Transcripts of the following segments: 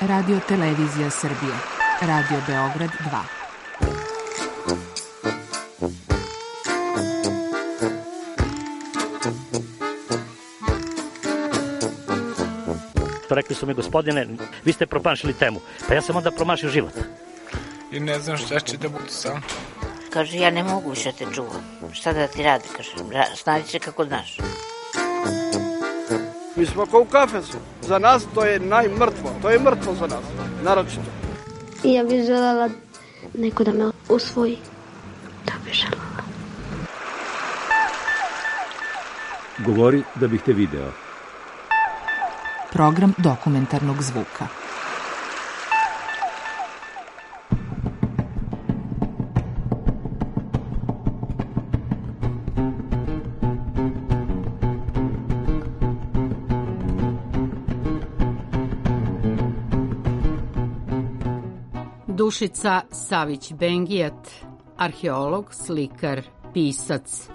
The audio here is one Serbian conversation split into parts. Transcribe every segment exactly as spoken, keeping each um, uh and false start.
Radio Televizija Srbije. Radio Beograd dva. Rekli su mi, gospodine, vi ste promašili temu. Pa ja sam onda promašio život. I ne znam šta će da bude sam. Kaže, ja ne mogu više te čuvam. Šta da ti radi, kaže, snađi se kako znaš. Mi smo kao u kafesu. Za nas to je najmrtvo. To je mrtvo za nas, naročito. I ja bih želela neko da me usvoji. To bih želela. Govori da bih te video. Program dokumentarnog zvuka. Dušica Savić-Bengijat, arheolog, slikar, pisac.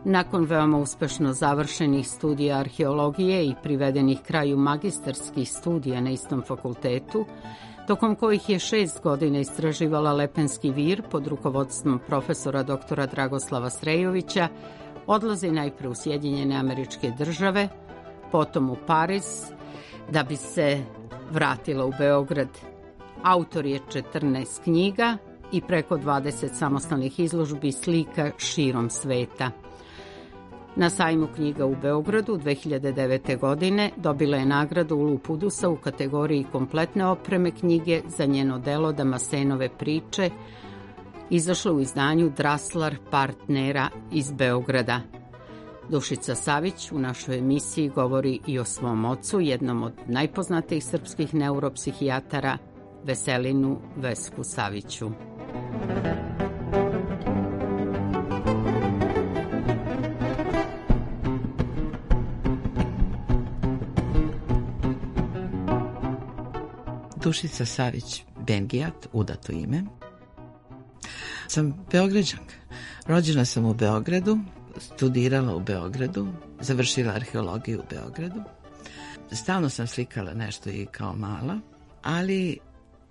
Nakon veoma uspešno završenih studija arheologije i privedenih kraju magistarskih studija na istom fakultetu, tokom kojih je šest godina istraživala Lepenski vir pod rukovodstvom profesora doktora Dragoslava Srejovića, odlazi najpre u Sjedinjene Američke Države, potom u Pariz, da bi se vratila u Beograd. Autor je četrnaest knjiga i preko dvadeset samostalnih izložbi slika širom sveta. Na sajmu knjiga u Beogradu dve hiljade devete. godine dobila je nagradu Ulu Pudusa u kategoriji kompletne opreme knjige za njeno delo Damasenove priče, izašla u izdanju Draslar partnera iz Beograda. Dušica Savić u našoj emisiji govori i o svom ocu, jednom od najpoznatijih srpskih neuropsihijatara, Veselinu Vesku Saviću. Dušica Savić-Bengijat, udato ime. Sam Beograđanka. Rođena sam u Beogradu, studirala u Beogradu, završila arheologiju u Beogradu. Stalno sam slikala nešto i kao mala, ali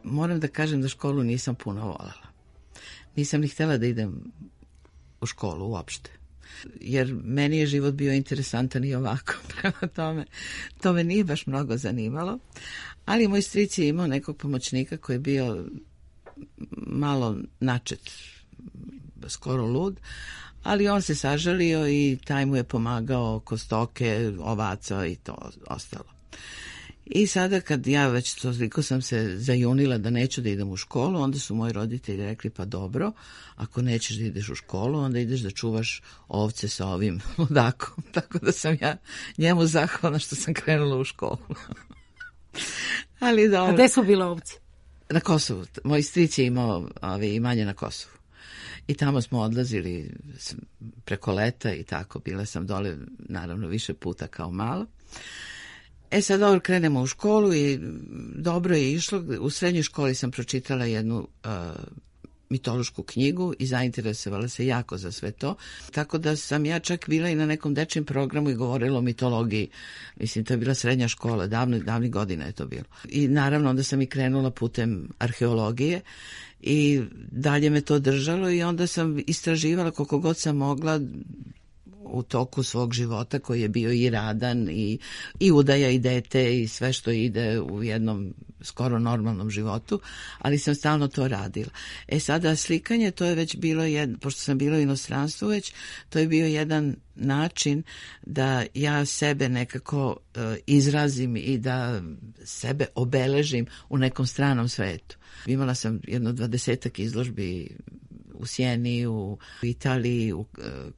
moram da kažem da školu nisam puno voljela. Nisam ni htjela da idem u školu uopšte. Jer meni je život bio interesantan i ovako. Prema tome, to me nije baš mnogo zanimalo. Ali moj stric je imao nekog pomoćnika koji je bio malo načet, skoro lud, ali on se sažalio i taj mu je pomagao oko stoke, ovaca i to ostalo. I sada kad ja već toliko sam se zajunila da neću da idem u školu, onda su moji roditelji rekli, pa dobro, ako nećeš da ideš u školu, onda ideš da čuvaš ovce sa ovim ludakom. Tako da sam ja njemu zahvalna što sam krenula u školu. Ali dobro. A gde su bile ovce? Na Kosovu. Moj stric je imao ove, imanje na Kosovu. I tamo smo odlazili preko leta i tako. Bila sam dole, naravno, više puta kao malo. E sad dobro, krenemo u školu i dobro je išlo. U srednjoj školi sam pročitala jednu uh, mitološku knjigu i zainteresovala se jako za sve to. Tako da sam ja čak bila i na nekom dečijem programu i govorila o mitologiji. Mislim, to je bila srednja škola, davno, davnih godina je to bilo. I naravno onda sam i krenula putem arheologije i dalje me to držalo i onda sam istraživala koliko god sam mogla u toku svog života koji je bio i radan i, i udaja i dete i sve što ide u jednom skoro normalnom životu, ali sam stalno to radila. E sada slikanje, to je već bilo, jed, pošto sam bila u inostranstvu već, to je bio jedan način da ja sebe nekako uh, izrazim i da sebe obeležim u nekom stranom svetu. Imala sam jedno dvadesetak izložbi u Sjeni, u Italiji, u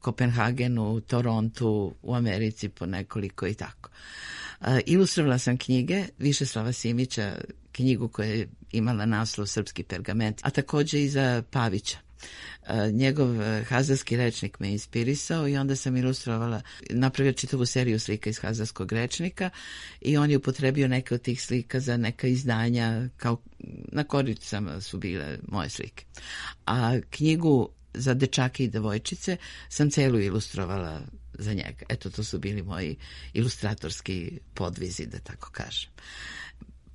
Kopenhagenu, u Torontu, u Americi po nekoliko i tako. Ilustrovala sam knjige Višeslava Simića, knjigu koja je imala naslov Srpski pergament, a također i za Pavića. Njegov hazarski rečnik me inspirisao i onda sam ilustrovala, napravila čitavu seriju slika iz hazarskog rečnika i on je upotrebio neke od tih slika za neka izdanja, kao na koricama su bile moje slike. A knjigu za dečake i devojčice sam celu ilustrovala za njega. Eto, to su bili moji ilustratorski podvizi, da tako kažem.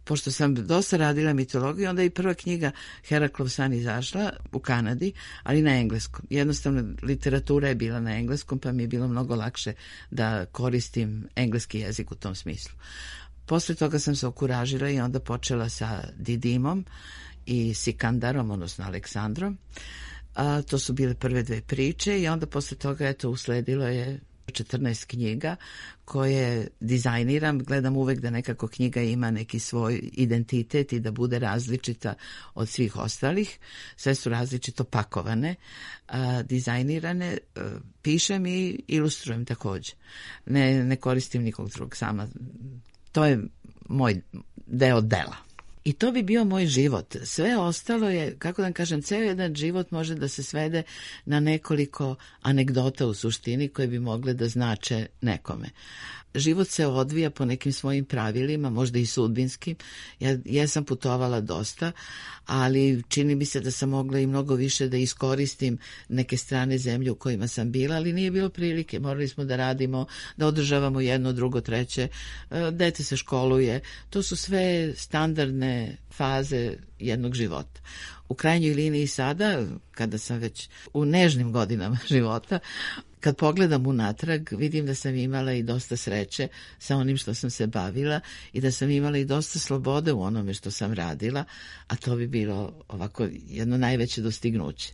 pošto sam dosta radila mitologiju, onda je i prva knjiga Heraklov san izašla u Kanadi, ali na engleskom. Jednostavno, literatura je bila na engleskom, pa mi je bilo mnogo lakše da koristim engleski jezik u tom smislu. Posle toga sam se okuražila i onda počela sa Didimom i Sikandarom, odnosno Aleksandrom. A, to su bile prve dve priče i onda posle toga eto, usledilo je četrnaest knjiga koje dizajniram. Gledam uvek da nekako knjiga ima neki svoj identitet i da bude različita od svih ostalih. Sve su različito pakovane, a, dizajnirane, a, pišem i ilustrujem takođe. Ne, ne koristim nikog drugog, sama. To je moj deo dela. I to bi bio moj život. Sve ostalo je, kako da kažem, ceo jedan život može da se svede na nekoliko anegdota u suštini koje bi mogle da znače nekome. Život se odvija po nekim svojim pravilima, možda i sudbinskim. Ja, ja sam putovala dosta, ali čini mi se da sam mogla i mnogo više da iskoristim neke strane zemlje u kojima sam bila, ali nije bilo prilike. Morali smo da radimo, da održavamo jedno, drugo, treće, dete se školuje. To su sve standardne faze jednog života. U krajnjoj liniji sada, kada sam već u nežnim godinama života, kad pogledam unatrag, vidim da sam imala i dosta sreće sa onim što sam se bavila i da sam imala i dosta slobode u onome što sam radila, a to bi bilo ovako jedno najveće dostignuće.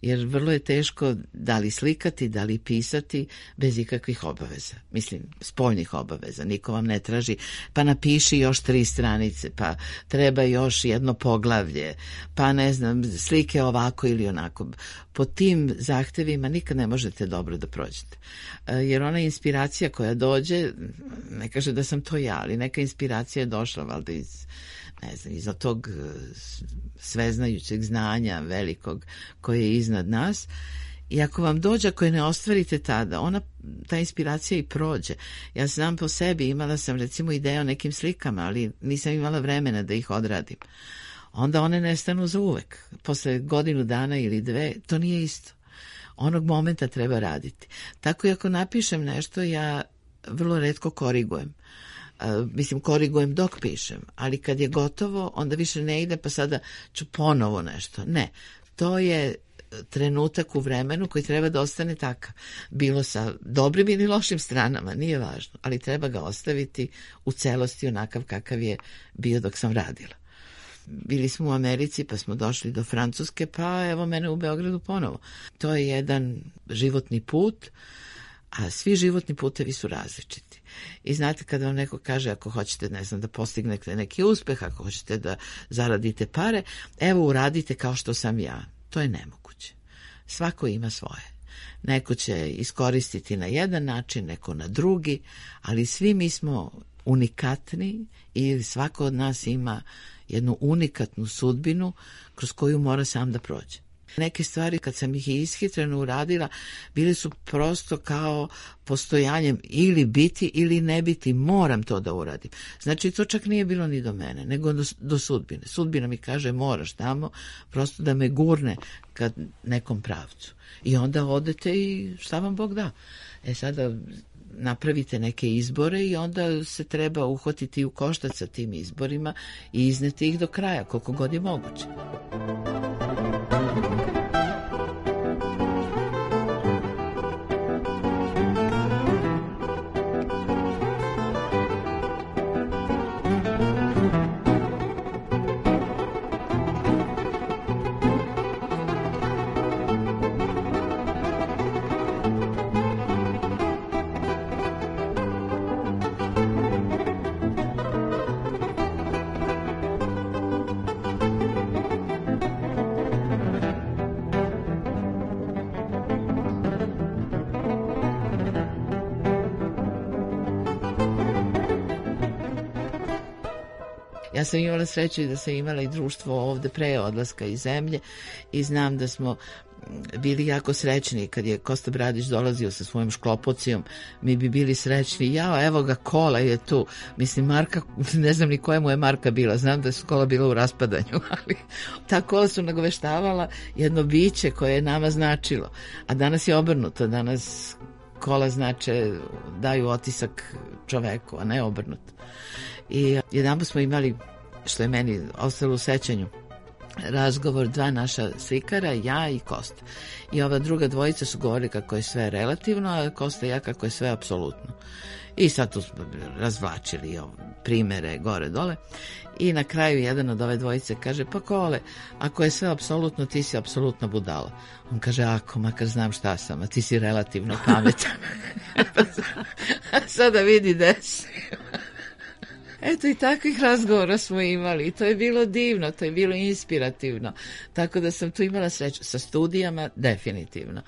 Jer vrlo je teško da li slikati, da li pisati bez ikakvih obaveza. Mislim, spoljnih obaveza. Niko vam ne traži, pa napiši još tri stranice, pa treba još jedno poglavlje, pa ne znam, slike ovako ili onako. Po tim zahtevima nikad ne možete dobro da prođete. Jer ona inspiracija koja dođe, ne kaže da sam to ja, ali neka inspiracija je došla valjda iz ne znam, iza tog sveznajućeg znanja velikog koje je iznad nas. I ako vam dođe, ako je ne ostvarite tada, ona, ta inspiracija i prođe. Ja znam po sebi, imala sam recimo ideje o nekim slikama, ali nisam imala vremena da ih odradim. Onda one nestanu za uvek. Posle godinu dana ili dve, to nije isto. Onog momenta treba raditi. Tako i ako napišem nešto, ja vrlo retko korigujem. Uh, mislim, korigujem dok pišem, ali kad je gotovo, onda više ne ide, pa sada ću ponovo nešto. Ne, to je trenutak u vremenu koji treba da ostane takav. Bilo sa dobrim ili lošim stranama, nije važno, ali treba ga ostaviti u celosti onakav kakav je bio dok sam radila. Bili smo u Americi, pa smo došli do Francuske, pa evo mene u Beogradu ponovo. To je jedan životni put, a svi životni putevi su različiti. I znate, kada vam neko kaže, ako hoćete, ne znam, da postignete neki uspeh, ako hoćete da zaradite pare, evo uradite kao što sam ja. To je nemoguće. Svako ima svoje. Neko će iskoristiti na jedan način, neko na drugi, ali svi mi smo unikatni i svako od nas ima jednu unikatnu sudbinu kroz koju mora sam da prođe. Neke stvari, kad sam ih ishitreno uradila, bile su prosto kao postojanjem ili biti ili ne biti, moram to da uradim. Znači, to čak nije bilo ni do mene, nego do, do sudbine. Sudbina mi kaže, moraš tamo, prosto da me gurne ka nekom pravcu. I onda odete i šta vam Bog da. E sada napravite neke izbore i onda se treba uhvatiti u koštac sa tim izborima i izneti ih do kraja, koliko god je moguće. Ja sam imala sreću i da sam imala i društvo ovde pre odlaska iz zemlje i znam da smo bili jako srećni kad je Kosta Bradić dolazio sa svojom šklopocijom, mi bi bili srećni, jao, evo ga, kola je tu. Mislim, marka, ne znam ni koja mu je marka bila, znam da su kola bila u raspadanju, ali ta kola su nagoveštavala jedno biće koje je nama značilo, a danas je obrnuto, danas kola znače, daju otisak čoveku, a ne obrnuto. I jedan smo imali što je meni ostalo u sećanju, razgovor dva naša slikara, ja i Kosta. I ova druga dvojica su govorili kako je sve relativno, a Kosta i ja kako je sve apsolutno. I sad tu smo razvlačili primere gore dole. I na kraju jedan od ove dvojice kaže, pa Kole, ako je sve apsolutno, ti si apsolutno budala. On kaže, ako, makar znam šta sam, a ti si relativno pametan. Sada vidi desi. Eto, i takvih razgovora smo imali i to je bilo divno, to je bilo inspirativno. Tako da sam tu imala sreću sa studijama, definitivno.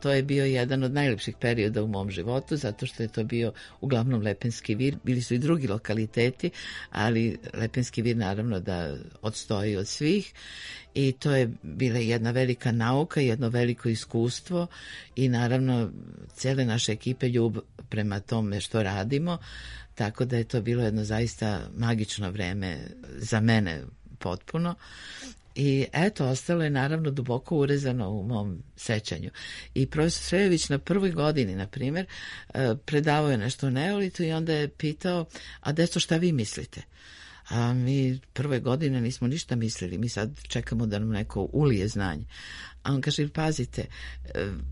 To je bio jedan od najlepših perioda u mom životu, zato što je to bio uglavnom Lepenski vir. Bili su i drugi lokaliteti, ali Lepenski vir naravno da odstoji od svih. I to je bila jedna velika nauka, jedno veliko iskustvo i naravno cele naše ekipe ljubav prema tome što radimo. Tako da je to bilo jedno zaista magično vreme za mene potpuno. I eto, ostalo je naravno duboko urezano u mom sećanju. I profesor Srejović na prvoj godini, na primjer, predavao je nešto o neolitu i onda je pitao, a deco, šta vi mislite? A mi prve godine nismo ništa mislili, mi sad čekamo da nam neko ulije znanje. A on kaže, pazite,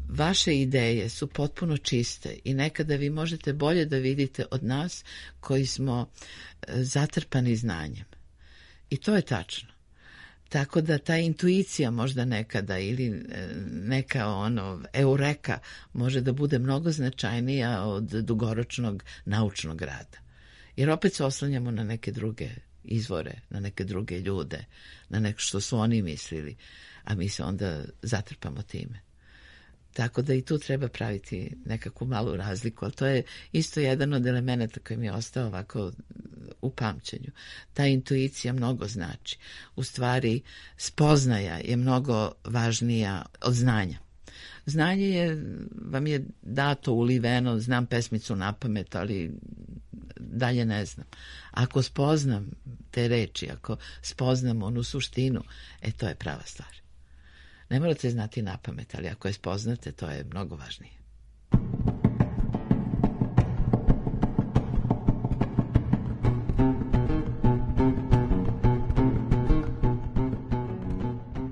vaše ideje su potpuno čiste i nekada vi možete bolje da vidite od nas koji smo zatrpani znanjem. I to je tačno. Tako da ta intuicija možda nekada ili neka ono eureka može da bude mnogo značajnija od dugoročnog naučnog rada. Jer opet se oslanjamo na neke druge izvore, na neke druge ljude, na nešto što su oni mislili, a mi se onda zatrpamo time. Tako da i tu treba praviti nekakvu malu razliku, ali to je isto jedan od elemenata koji mi je ostao ovako u pamćenju. Ta intuicija mnogo znači. U stvari, spoznaja je mnogo važnija od znanja. Znanje je, vam je dato, uliveno, znam pesmicu napamet, ali dalje ne znam. Ako spoznam te reči, ako spoznam onu suštinu, e to je prava stvar. Ne morate znati napamet, ali ako je spoznate, to je mnogo važnije.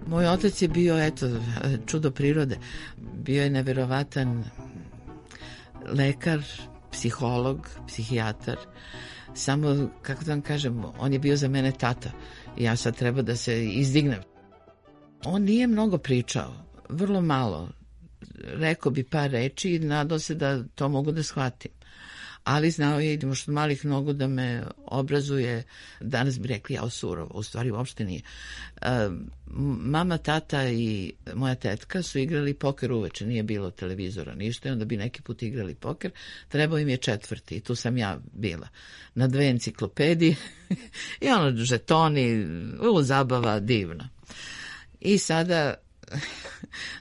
Moj otac je bio, eto, čudo prirode. Bio je neverovatan lekar, psiholog, psihijatar. Samo, kako da vam kažem, on je bio za mene tata. Ja sad treba da se izdignem. On nije mnogo pričao, vrlo malo. Rekao bi par reči i nadao se da to mogu da shvatim. Ali znao je, idemo što malih nogu, da me obrazuje, danas bi rekli ja surovo, u stvari uopšte nije. Mama, tata i moja tetka su igrali poker uveče, nije bilo televizora, ništa, i onda bi neki put igrali poker, trebao im je četvrti i tu sam ja bila. Na dve enciklopedije i ono, žetoni, u zabava divna. I sada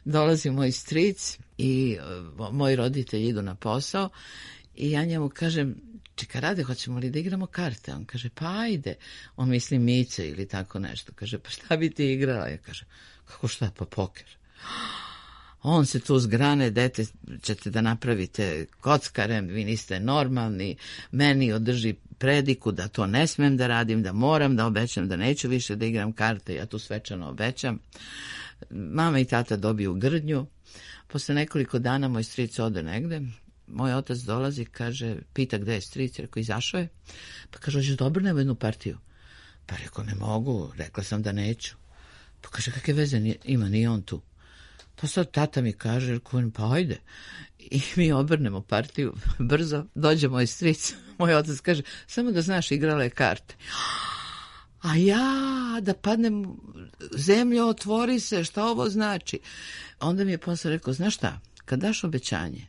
dolazi moj stric i moji roditelji idu na posao i ja njemu kažem, čeka Rade, hoćemo li da igramo karte? On kaže, pa ajde. On misli Mice ili tako nešto. Kaže, pa šta bi ti igrala? Ja kažem, kako šta, pa poker. On se tu zgrane, dete, ćete da napravite kockare, vi niste normalni, meni održi prediku da to ne smem da radim, da moram da obećam, da neću više da igram karte, ja tu svečano obećam. Mama i tata dobiju grdnju. Posle nekoliko dana moj stric ode negde. Moj otac dolazi, kaže, pita gde je stric, rekao, izašao je. Pa kaže, hoćeš dobro nema jednu partiju? Pa rekao, ne mogu, rekla sam da neću. Pa kaže, kakve veze ima, nije on tu. Pa sad tata mi kaže, rekao, pa ajde. I mi obrnemo partiju, brzo, dođe moj stric. Moj otac kaže, samo da znaš, igrala je karte. A ja, da padnem, zemljo, otvori se, šta ovo znači? Onda mi je posle rekao, znaš šta, kad daš obećanje,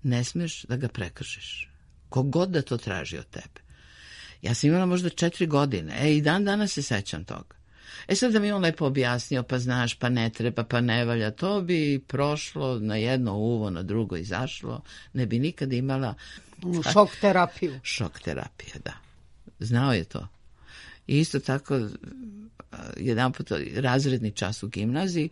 ne smiješ da ga prekršiš. Kogod da to traži od tebe. Ja sam imala možda četiri godine. E, i dan danas se sećam toga. E sad da mi on lepo objasnio, pa znaš, pa ne treba, pa ne valja, to bi prošlo na jedno uvo, na drugo izašlo. Ne bi nikad imala... Šok terapiju. Šok terapija, da. Znao je to. I isto tako, jedan put razredni čas u gimnaziji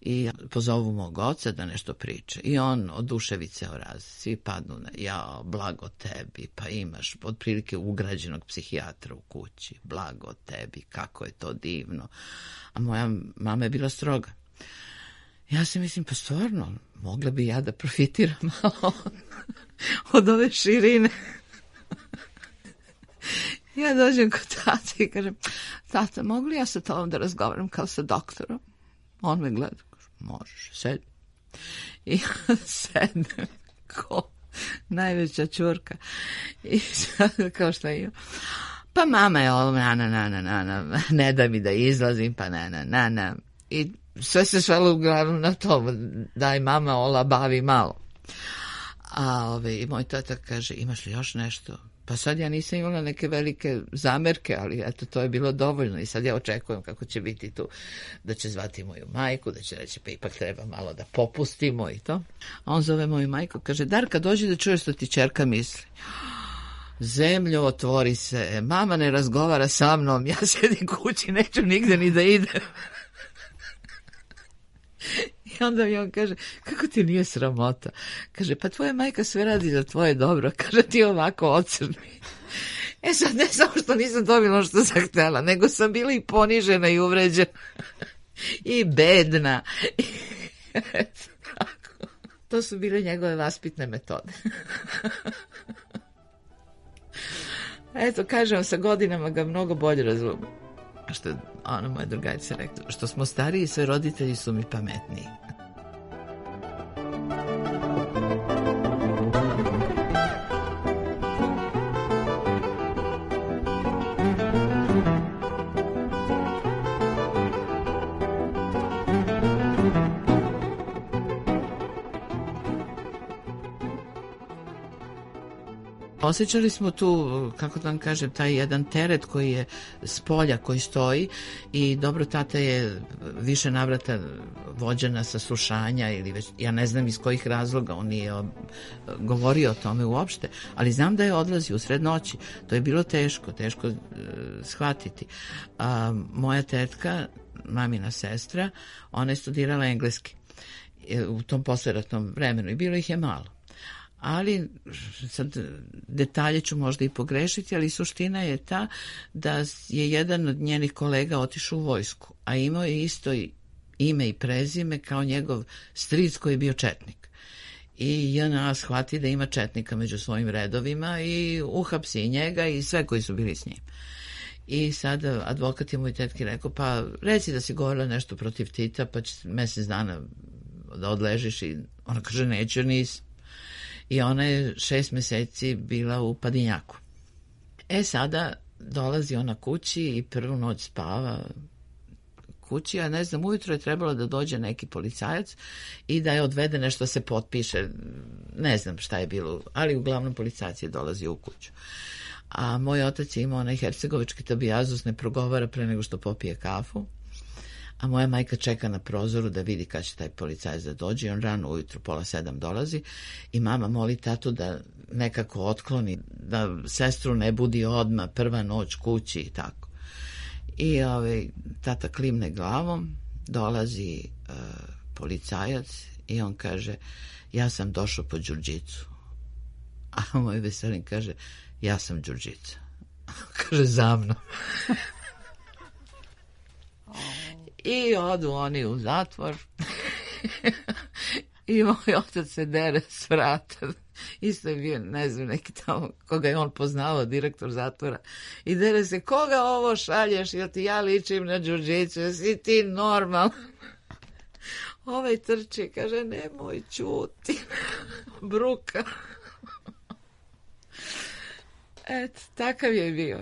i pozovu mog oca da nešto priče. I on oduševi ceo raz. Svi padnu na, jao, blago tebi, pa imaš otprilike ugrađenog psihijatra u kući. Blago tebi, kako je to divno. A moja mama je bila stroga. Ja se mislim, pa stvarno, mogla bi ja da profitiram malo od ove širine. Ja dođem kod tata i kažem, tata, mogu li ja sa tobom da razgovaram kao sa doktorom? On me gleda, kaže, možeš, sedi. I ja sedem ko najveća čurka. I sad, kao šta ima. Pa mama je ovo, na, na, na, na, na, ne da mi da izlazim, pa na, na, na, na. I sve se svelo uglavnom na to, daj mama, ola, bavi malo. A ove, i moj tata kaže, imaš li još nešto? Pa sad ja nisam imala neke velike zamerke, ali eto, to je bilo dovoljno i sad ja očekujem kako će biti tu, da će zvati moju majku, da će reći, pa ipak treba malo da popustimo i to. A on zove moju majku, kaže, Darka, dođi da čuješ što ti ćerka misli. Zemljo, otvori se, mama ne razgovara sa mnom, ja sedim kući, neću nigde ni da idem. I onda mi on kaže, kako ti nije sramota? Kaže, pa tvoja majka sve radi za tvoje dobro. Kaže, ti ovako ocrni. E sad, ne samo što nisam dobila ono što sam htjela, nego sam bila i ponižena i uvređena. I bedna. I, eto, tako. To su bile njegove vaspitne metode. Eto, kažem, sa godinama ga mnogo bolje razumem. Što je ona moja drugarica rekla, što smo stariji, sve roditelji su mi pametniji. Osjećali smo tu, kako da vam kažem, taj jedan teret koji je s polja, koji stoji i dobro, tata je više navrata vođena saslušanja ili već, ja ne znam iz kojih razloga, on nije govorio o tome uopšte, ali znam da je odlazio u sred noći. To je bilo teško, teško uh, shvatiti. A, moja tetka, mamina sestra, ona je studirala engleski u tom posleratnom vremenu i bilo ih je malo. Ali, sad detalje ću možda i pogrešiti, ali suština je ta da je jedan od njenih kolega otišao u vojsku, a imao je isto ime i prezime kao njegov stric koji je bio četnik. I J N A shvati da ima četnika među svojim redovima i uhapsi njega i sve koji su bili s njim. I sad advokat je moj tetki rekao, pa reci da si govorila nešto protiv Tita, pa će mesec dana da odležiš. I ona kaže, neću, nisam. I ona je šest meseci bila u Padinjaku. E sada dolazi ona kući i prvu noć spava kući, a ne znam, ujutro je trebalo da dođe neki policajac i da je odvede nešto se potpiše, ne znam šta je bilo, ali uglavnom policajac je dolazio u kuću. A moj otac je imao onaj hercegovički tabijazus, ne progovara pre nego što popije kafu. A moja majka čeka na prozoru da vidi kad će taj policajac da dođe i on rano ujutru, pola sedam dolazi i mama moli tatu da nekako otkloni, da sestru ne budi odmah, prva noć kući i tako. I ovaj, tata klimne glavom, dolazi uh, policajac i on kaže, ja sam došao po Đurđicu. A moj Veselin kaže, ja sam Đurđica. Kaže, za mnom. I odu oni u zatvor i moj otac se dere s vrata. Isto je bio, ne znam, neki tamo, koga je on poznao, direktor zatvora. I dere se, koga ovo šalješ, jel ti ja ličim na Đurđicu, jesi ti normalno? Ovaj trči, kaže, nemoj ćuti, bruka. Eto, takav je bio.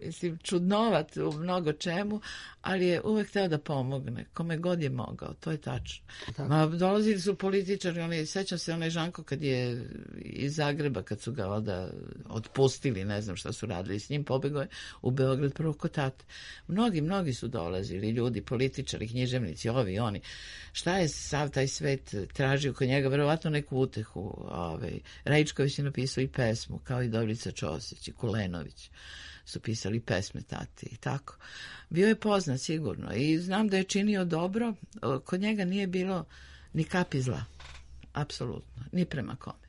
Mislim, čudnovat u mnogo čemu, ali je uvek hteo da pomogne, kome god je mogao, to je tačno. Ma, dolazili su političari, oni, sećam se onaj Žanko kad je iz Zagreba, kad su ga onda otpustili, ne znam šta su radili s njim, pobegao je u Beograd prvo kod tate. Mnogi, mnogi su dolazili, ljudi, političari, književnici, ovi, oni. Šta je sav taj svet tražio kod njega? Verovatno neku utehu. Ovaj. Rajičković je napisao i pesmu, kao i Dobrica Ćosić i Kulenović. su pisali pesme tati i tako. Bio je poznat sigurno i znam da je činio dobro. Kod njega nije bilo ni kapi zla, apsolutno, ni prema kome.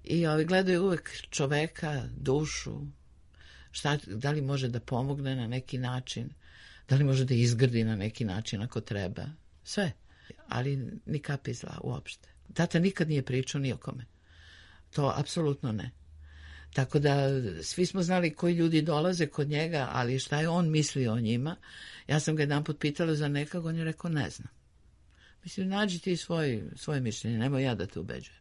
I ovi gledaju uvek čoveka, dušu, šta, da li može da pomogne na neki način, da li može da izgrdi na neki način ako treba, sve, ali ni kapi zla uopšte. Tata nikad nije pričao ni o kome. To apsolutno ne. Tako da svi smo znali koji ljudi dolaze kod njega, ali šta je on mislio o njima. Ja sam ga jedan put pitala za nekog, on je rekao ne znam. Mislim, nađi ti svoj, svoje mišljenje, nemoj ja da te ubeđujem.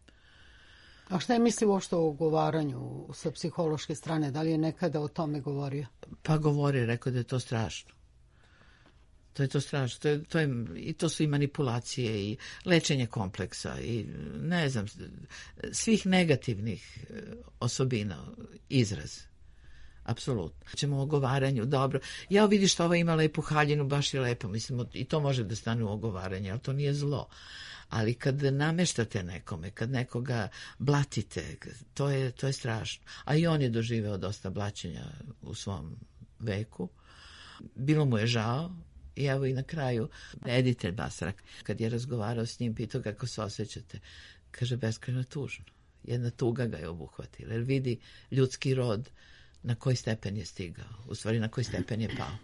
A šta je mislio uopšte o ugovaranju sa psihološke strane? Da li je nekada o tome govorio? Pa govori, rekao da je to strašno. To je to strašno. To je, to je, i to su i manipulacije i lečenje kompleksa i ne znam, svih negativnih osobina, izraz. Apsolutno. Ćemo o ogovaranju, dobro. Ja vidiš što ova ima lepu haljinu, baš je lepo. Mislim, i to može da stane u ogovaranje, ali to nije zlo. Ali kad nameštate nekome, kad nekoga blatite, to je, to je strašno. A i on je doživeo dosta blaćenja u svom veku. Bilo mu je žao. I evo i na kraju, editelj Basarak, kad je razgovarao s njim, pitao kako se osjećate, kaže beskrajno tužno. Jedna tuga ga je obuhvatila, jer vidi ljudski rod na koji stepen je stigao, u stvari na koji stepen je pao.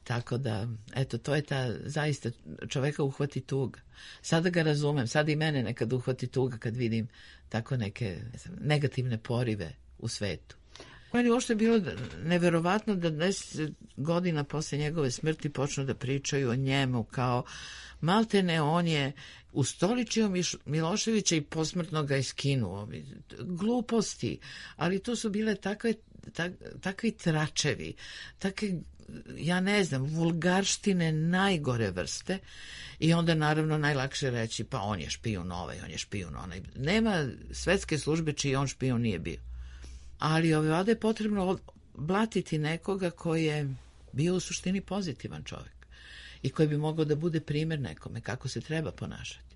Tako da, eto, to je ta, zaista, čoveka uhvati tuga. Sada ga razumem, sada i mene nekad uhvati tuga kad vidim tako neke ne znam, negativne porive u svetu. Meni uopšte je bilo neverovatno da deset godina posle njegove smrti počnu da pričaju o njemu kao maltene on je ustoličio Miloševića i posmrtno ga je skinuo. Gluposti, ali to su bile takve, tak, takvi tračevi, takve, ja ne znam, vulgarštine najgore vrste i onda naravno najlakše reći pa on je špijun ovaj, on je špijun onaj. Nema svetske službe čiji on špijun nije bio. Ali ovdje je potrebno blatiti nekoga koji je bio u suštini pozitivan čovjek i koji bi mogao da bude primjer nekome kako se treba ponašati.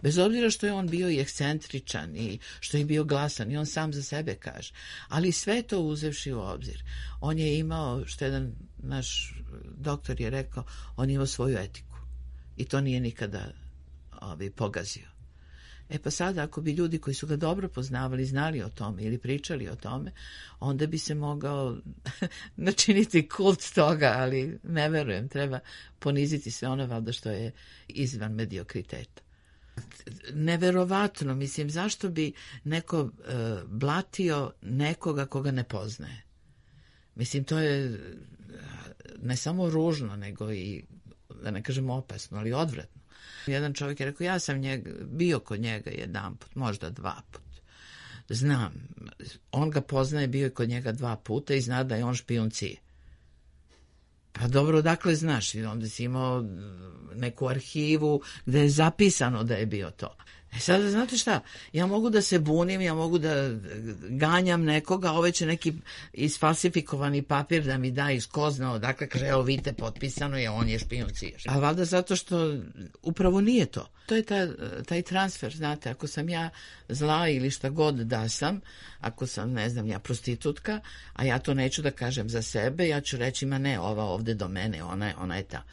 Bez obzira što je on bio i ekscentričan i što je bio glasan i on sam za sebe kaže. Ali sve to uzevši u obzir. On je imao, što jedan naš doktor je rekao, on je imao svoju etiku i to nije nikada ovi, pogazio. E pa sada, ako bi ljudi koji su ga dobro poznavali, znali o tome ili pričali o tome, onda bi se mogao načiniti kult toga, ali ne verujem, treba poniziti sve ono valjda što je izvan mediokriteta. Neverovatno, mislim, zašto bi neko uh, blatio nekoga koga ne poznaje? Mislim, to je ne samo ružno, nego i, da ne kažem opasno, ali odvratno. Jedan čovjek je rekao, ja sam njega, bio kod njega jedan put, možda dva put. Znam, on ga poznaje, bio je kod njega dva puta i zna da je on špijun Cije. Pa dobro, odakle znaš? Onda si imao neku arhivu gde je zapisano da je bio to. E sada, znate šta, ja mogu da se bunim, ja mogu da ganjam nekoga, ove će neki isfalsifikovani papir da mi da iz ko zna odakle, kaže, evo vidite, potpisano je, on je špijun Cije. A valjda zato što upravo nije to. To je ta, taj transfer, znate, ako sam ja zla ili šta god da sam, ako sam, ne znam, ja prostitutka, a ja to neću da kažem za sebe, ja ću reći, ma ne, ova ovde do mene, ona je, ona je ta.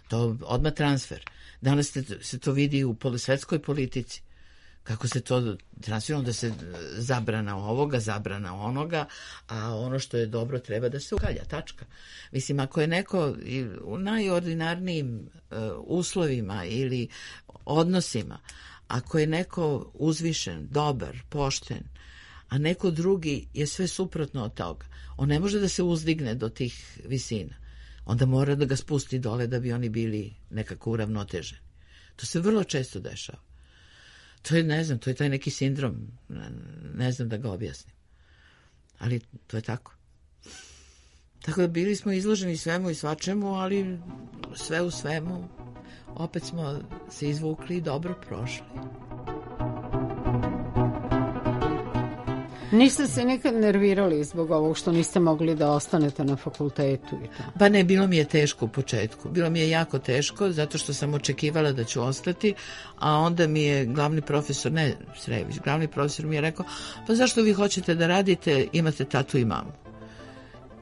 To odmah transfer. Danas se to vidi u svetskoj politici. Kako se to transferuje, da se zabrana ovoga, zabrana onoga, a ono što je dobro treba da se ukalja, tačka. Mislim, ako je neko u najordinarnijim uh, uslovima ili odnosima, ako je neko uzvišen, dobar, pošten, a neko drugi je sve suprotno od toga, on ne može da se uzdigne do tih visina. Onda mora da ga spusti dole da bi oni bili nekako uravnoteženi. To se vrlo često dešava. To je, ne znam, to je taj neki sindrom, ne znam da ga objasnim. Ali to je tako. Tako da bili smo izloženi svemu i svačemu, ali sve u svemu, opet smo se izvukli i dobro prošli. Niste se nikad nervirali zbog ovog što niste mogli da ostanete na fakultetu i to? Pa ne, bilo mi je teško u početku. Bilo mi je jako teško zato što sam očekivala da ću ostati, a onda mi je glavni profesor, ne Srević, glavni profesor mi je rekao, pa zašto vi hoćete da radite, imate tatu i mamu.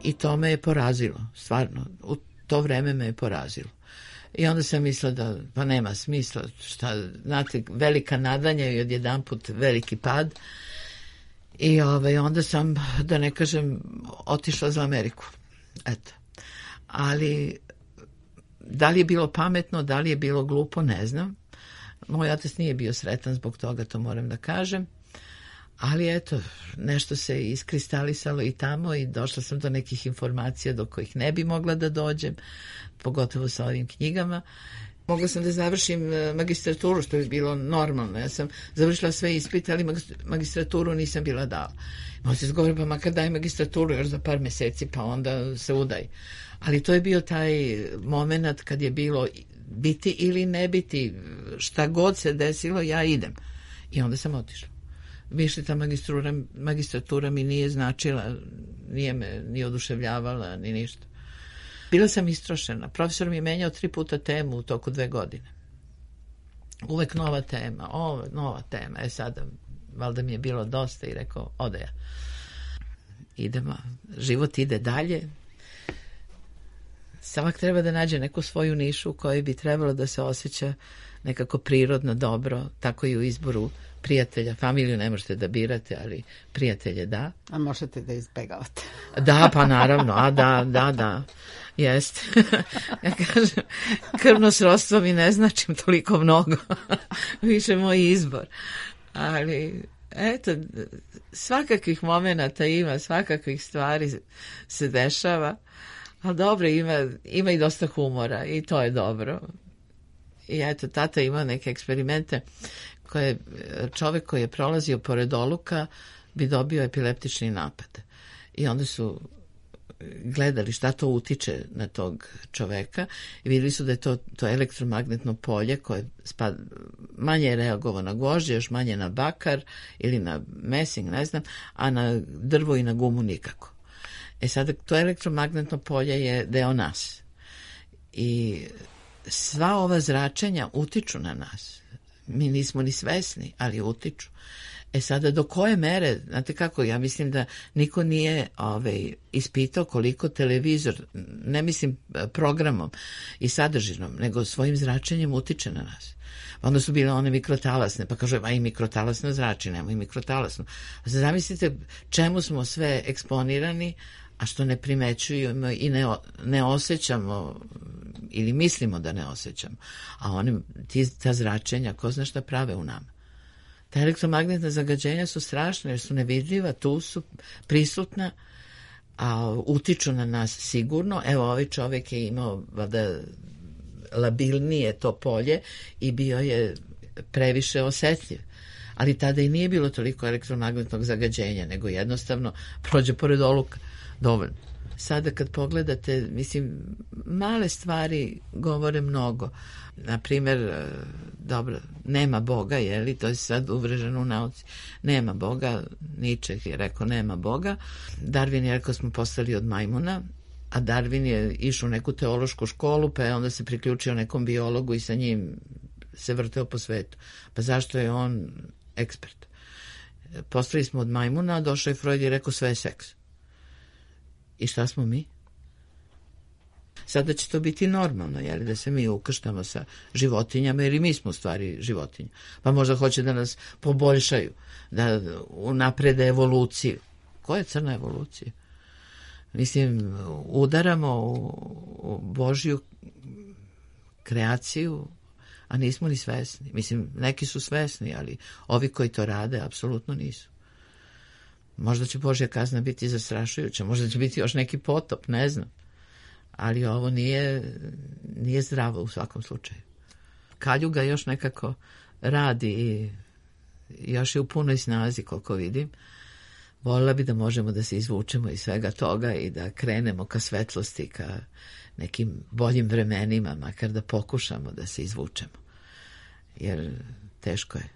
I to me je porazilo, stvarno, u to vreme me je porazilo. I onda sam mislila da pa nema smisla, šta, znate, velika nadanja i odjedanput veliki pad. I ovaj, onda sam, da ne kažem, otišla za Ameriku. Eto. Ali da li je bilo pametno, da li je bilo glupo, ne znam. Moj otac nije bio sretan zbog toga, to moram da kažem. Ali eto, nešto se iskristalisalo i tamo i došla sam do nekih informacija do kojih ne bi mogla da dođem, pogotovo sa ovim knjigama. Mogla sam da završim magistraturu, što bi bilo normalno. Ja sam završila sve ispite, ali magistraturu nisam bila dala. Možda se zgovori, pa makar daj magistraturu još za par meseci, pa onda se udaj. Ali to je bio taj moment kad je bilo biti ili ne biti, šta god se desilo, ja idem. I onda sam otišla. Više ta magistratura, magistratura mi nije značila, nije me ni oduševljavala, ni ništa. Bila sam istrošena. Profesor mi je menjao tri puta temu u toku dve godine. Uvek nova tema, ovo, nova tema. E sada, valjda mi je bilo dosta i rekao, ode ja. Idemo, život ide dalje. Svak treba da nađe neku svoju nišu u kojoj bi trebalo da se osjeća nekako prirodno dobro, tako i u izboru prijatelja. Familiju ne možete da birate, ali prijatelje da. A možete da izbegavate. Da, pa naravno, a da, da, da, jeste. Ja kažem, krvno srodstvo mi ne značim toliko mnogo, više moj izbor. Ali, eto, svakakvih momenata ima, svakakvih stvari se dešava, ali dobro, ima, ima i dosta humora i to je dobro. I eto, tata ima neke eksperimente koje čovek koji je prolazio pored oluka bi dobio epileptični napad. I onda su gledali šta to utiče na tog čoveka i vidjeli su da je to, to elektromagnetno polje koje spad, manje je reagovao na gvožđe, još manje na bakar ili na mesing, ne znam, a na drvo i na gumu nikako. E sada, to elektromagnetno polje je deo nas. I sva ova zračenja utiču na nas. Mi nismo ni svesni, ali utiču. E sada, do koje mere, znate kako, ja mislim da niko nije ovaj, ispitao koliko televizor, ne mislim programom i sadržinom, nego svojim zračenjem utiče na nas. Onda su bile one mikrotalasne, pa kažu, a i mikrotalasno zrači, nemoj i mikrotalasno. Zamislite čemu smo sve eksponirani, a što ne primećujemo i ne, ne osjećamo ili mislimo da ne osjećamo. A oni, ti, ta zračenja, ko zna šta prave u nama. Ta elektromagnetna zagađenja su strašna jer su nevidljiva, tu su prisutna, a utiču na nas sigurno. Evo, ovaj čovjek je imao vada, labilnije to polje i bio je previše osjetljiv. Ali tada i nije bilo toliko elektromagnetnog zagađenja, nego jednostavno prođe pored oluka. Dovoljno. Sada kad pogledate, mislim, male stvari govore mnogo. Naprimjer, dobro, nema Boga, je li, to je sad uvreženo u nauci. Nema Boga, Nietzsche je rekao nema Boga. Darwin je rekao smo postali od majmuna, a Darwin je išao u neku teološku školu, pa je onda se priključio nekom biologu i sa njim se vrteo po svetu. Pa zašto je on ekspert? Postali smo od majmuna, a došao je Freud i rekao sve je seks. I šta smo mi? Sada će to biti normalno, jel, da se mi ukrštamo sa životinjama, jer i mi smo u stvari životinje. Pa možda hoće da nas poboljšaju, da unaprede evoluciju. Koja je crna evolucija? Mislim, udaramo u, u Božju kreaciju, a nismo ni svesni. Mislim, neki su svesni, ali ovi koji to rade apsolutno nisu. Možda će Božja kazna biti zastrašujuća, možda će biti još neki potop, ne znam. Ali ovo nije, nije zdravo u svakom slučaju. Kaljuga još nekako radi i još je u punoj snazi, koliko vidim. Voljela bi da možemo da se izvučemo iz svega toga i da krenemo ka svetlosti, ka nekim boljim vremenima, makar da pokušamo da se izvučemo. Jer teško je.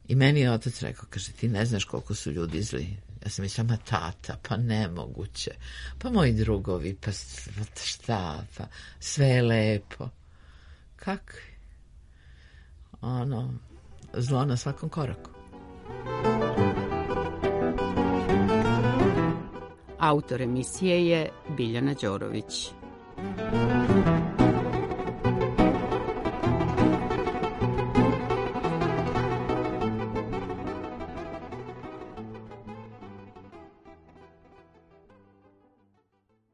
I meni je otac rekao, kaže, ti ne znaš koliko su ljudi zli. Ja sam mislila, ma tata, pa nemoguće. Pa moji drugovi, pa šta, pa sve je lepo. Kakvi? Ono, zlo na svakom koraku. Autor emisije je Biljana Đorović.